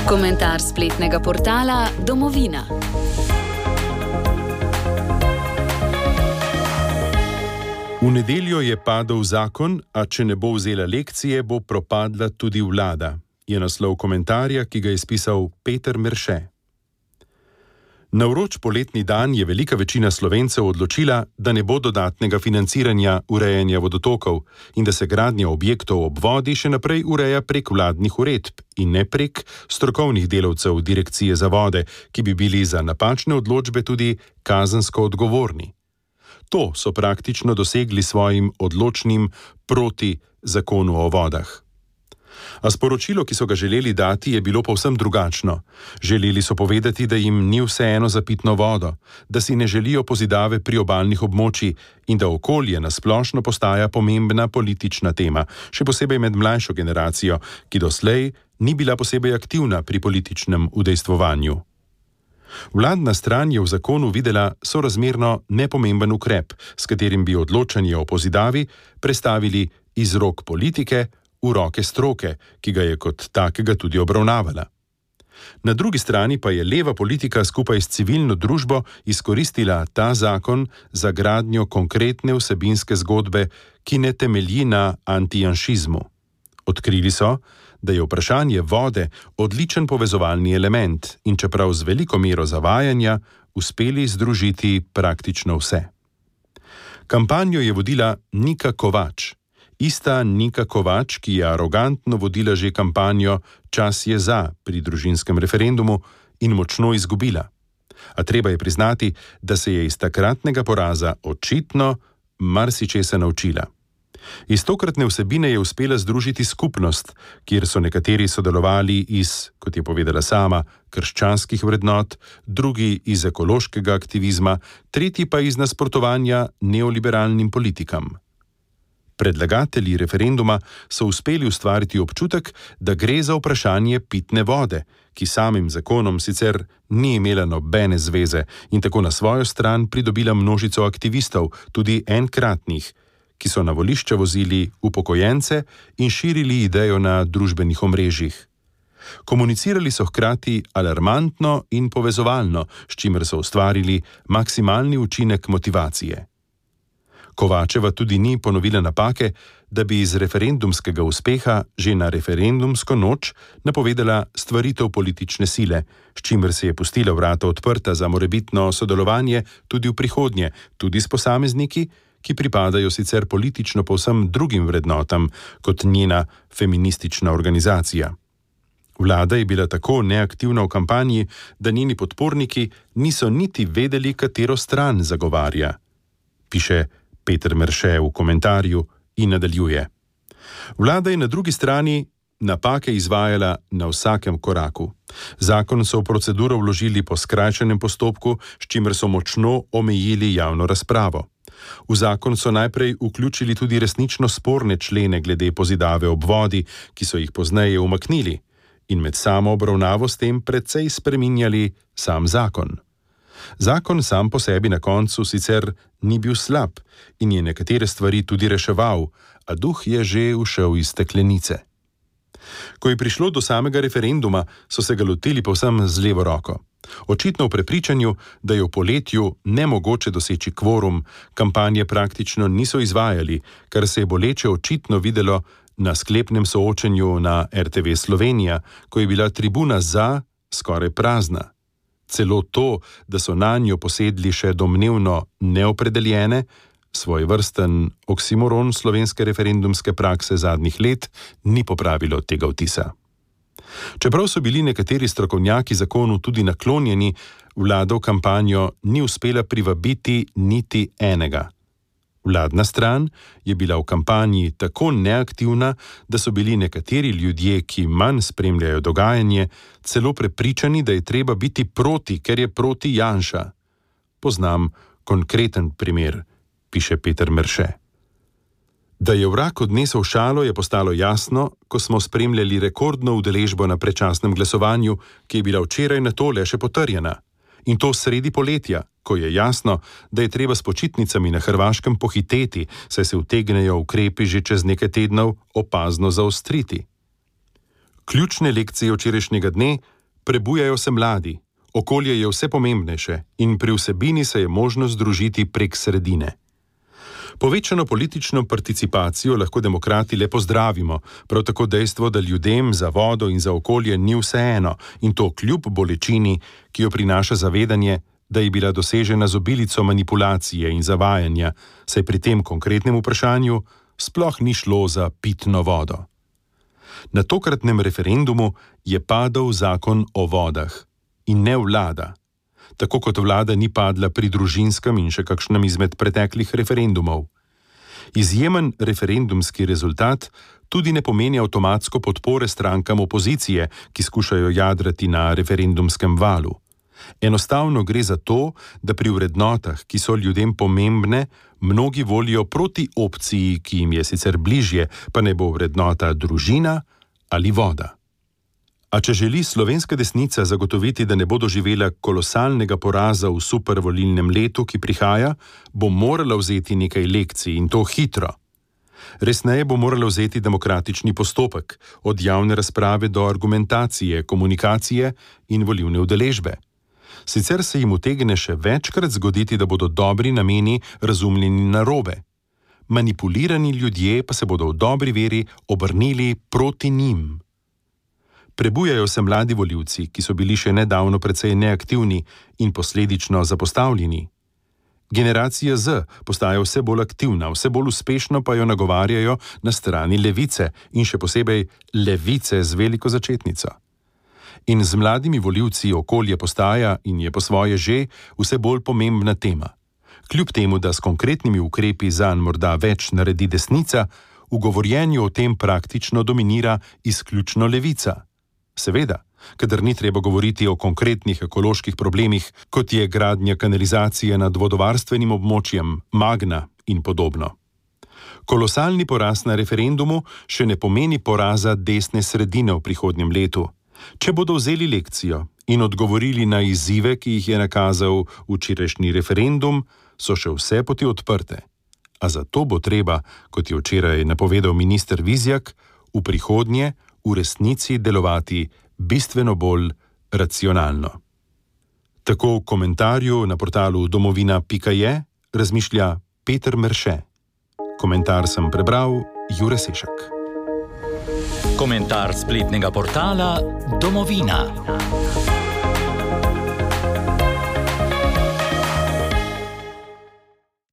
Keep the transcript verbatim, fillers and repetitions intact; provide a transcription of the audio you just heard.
Komentar spletnega portala Domovina. V nedeljo je padel zakon, a če ne bo vzela lekcije, bo propadla tudi vlada, je naslov komentarja, ki ga je spisal Peter Merše. Na vroč poletni dan je velika večina Slovencev odločila, da ne bo dodatnega financiranja urejanja vodotokov in da se gradnja objektov ob vodi še naprej ureja prek vladnih uredb in ne prek strokovnih delavcev Direkcije za vode, ki bi bili za napačne odločbe tudi kazensko odgovorni. To so praktično dosegli svojim odločnim proti zakonu o vodah. A sporočilo, ki so ga želeli dati, je bilo povsem drugačno. Želeli so povedati, da jim ni vseeno za pitno vodo, da si ne želijo pozidave priobalnih območij in da okolje nasplošno postaja pomembna politična tema, še posebej med mlajšo generacijo, ki doslej ni bila posebej aktivna pri političnem udejstvovanju. Vladna stran je v zakonu videla sorazmerno nepomemben ukrep, s katerim bi odločanje o pozidavi prestavili iz rok politike v roke stroke, ki ga je kot takega tudi obravnavala. Na drugi strani pa je leva politika skupaj s civilno družbo izkoristila ta zakon za gradnjo konkretne vsebinske zgodbe, ki ne temelji na antijanšizmu. Odkrili so, da je vprašanje vode odličen povezovalni element in čeprav z veliko mero zavajanja uspeli združiti praktično vse. Kampanjo je vodila Nika Kovač. Ista Nika Kovač, ki je arogantno vodila že kampanjo Čas je za pri družinskem referendumu in močno izgubila. A treba je priznati, da se je iz takratnega poraza očitno marsičesa naučila. Iz tokratne vsebine je uspela združiti skupnost, kjer so nekateri sodelovali iz, kot je povedala sama, krščanskih vrednot, drugi iz ekološkega aktivizma, tretji pa iz nasprotovanja neoliberalnim politikam. Predlagatelji referenduma so uspeli ustvariti občutek, da gre za vprašanje pitne vode, ki samim zakonom sicer ni imela nobene zveze in tako na svojo stran pridobila množico aktivistov, tudi enkratnih, ki so na volišča vozili upokojence in širili idejo na družbenih omrežjih. Komunicirali so hkrati alarmantno in povezovalno, s čimer so ustvarili maksimalni učinek motivacije. Kovačeva tudi ni ponovila napake, da bi iz referendumskega uspeha že na referendumsko noč napovedala stvaritev politične sile, s čimer se je pustila vrata odprta za morebitno sodelovanje tudi v prihodnje, tudi s posamezniki, ki pripadajo sicer politično povsem drugim vrednotam kot njena feministična organizacija. Vlada je bila tako neaktivna v kampanji, da njeni podporniki niso niti vedeli, katero stran zagovarja, piše Peter Merše v komentarju in nadaljuje. Vlada je na drugi strani napake izvajala na vsakem koraku. Zakon so v proceduro vložili po skrajšanem postopku, s čimer so močno omejili javno razpravo. V zakon so najprej vključili tudi resnično sporne člene glede pozidave ob vodi, ki so jih pozneje umaknili, in med samo obravnavo s tem precej spreminjali sam zakon. Zakon sam po sebi na koncu sicer ni bil slab in je nekatere stvari tudi reševal, a duh je že ušel iz steklenice. Ko je prišlo do samega referenduma, so se ga lotili povsem z levo roko. Očitno v prepričanju, da je v poletju nemogoče doseči kvorum, kampanje praktično niso izvajali, kar se je boleče očitno videlo na sklepnem soočenju na er te ve Slovenija, ko je bila tribuna za skoraj prazna. Celo to, da so nanjo posedli še domnevno neopredeljene, svojvrsten oksimoron slovenske referendumske prakse zadnjih let, ni popravilo tega vtisa. Čeprav so bili nekateri strokovnjaki zakonu tudi naklonjeni, vlada v kampanjo ni uspela privabiti niti enega. Vladna stran je bila v kampanji tako neaktivna, da so bili nekateri ljudje, ki manj spremljajo dogajanje, celo prepričani, da je treba biti proti, ker je proti Janša. Poznam konkreten primer, piše Peter Merše. Da je vrag odnesel šalo, je postalo jasno, ko smo spremljali rekordno udeležbo na predčasnem glasovanju, ki je bila včeraj na tole še potrjena. In to sredi poletja, ko je jasno, da je treba s počitnicami na Hrvaškem pohiteti, saj se utegnejo ukrepi že čez nekaj tednov opazno zaostriti. Ključne lekcije včerajšnjega dne Prebujajo se mladi, okolje je vse pomembnejše in pri vsebini se je možno združiti prek sredine. Povečano politično participacijo lahko demokrati le pozdravimo, prav tako dejstvo, da ljudem za vodo in za okolje ni vseeno in to kljub bolečini, ki jo prinaša zavedanje, da je bila dosežena z obilico manipulacije in zavajanja, saj pri tem konkretnem vprašanju sploh ni šlo za pitno vodo. Na tokratnem referendumu je padel zakon o vodah in ne vlada, tako kot vlada ni padla pri družinskem in še kakšnem izmed preteklih referendumov. Izjemen referendumski rezultat tudi ne pomeni avtomatsko podpore strankam opozicije, ki skušajo jadrati na referendumskem valu. Enostavno gre za to, da pri vrednotah, ki so ljudem pomembne, mnogi volijo proti opciji, ki jim je sicer bližje, pa ne bo vrednota družina ali voda. A če želi slovenska desnica zagotoviti, da ne bo doživela kolosalnega poraza v supervolilnem letu, ki prihaja, bo morala vzeti nekaj lekcij in to hitro. Resneje bo morala vzeti demokratični postopek, od javne razprave do argumentacije, komunikacije in volilne udeležbe. Sicer se jim utegne še večkrat zgoditi, da bodo dobri nameni razumljeni narobe. Manipulirani ljudje pa se bodo v dobri veri obrnili proti njim. Prebujajo se mladi volivci, ki so bili še nedavno precej neaktivni in posledično zapostavljeni. Generacija Z postaja vse bolj aktivna, vse bolj uspešno pa jo nagovarjajo na strani levice in še posebej levice z veliko začetnico. In z mladimi volivci okolje postaja in je po svoje že vse bolj pomembna tema. Kljub temu, da s konkretnimi ukrepi zanj morda več naredi desnica, v govorjenju o tem praktično dominira izključno levica. Seveda, kadar ni treba govoriti o konkretnih ekoloških problemih, kot je gradnja kanalizacije nad vodovarstvenim območjem, Magna in podobno. Kolosalni poraz na referendumu še ne pomeni poraza desne sredine v prihodnjem letu. Če bodo vzeli lekcijo in odgovorili na izzive, ki jih je nakazal včerajšnji referendum, so še vse poti odprte. A zato bo treba, kot je včeraj napovedal minister Vizjak, v prihodnje v resnici delovati bistveno bolj racionalno. Tako v komentarju na portalu domovina pika je razmišlja Peter Merše. Komentar sem prebral Jure Sešak. Komentar spletnega portala Domovina.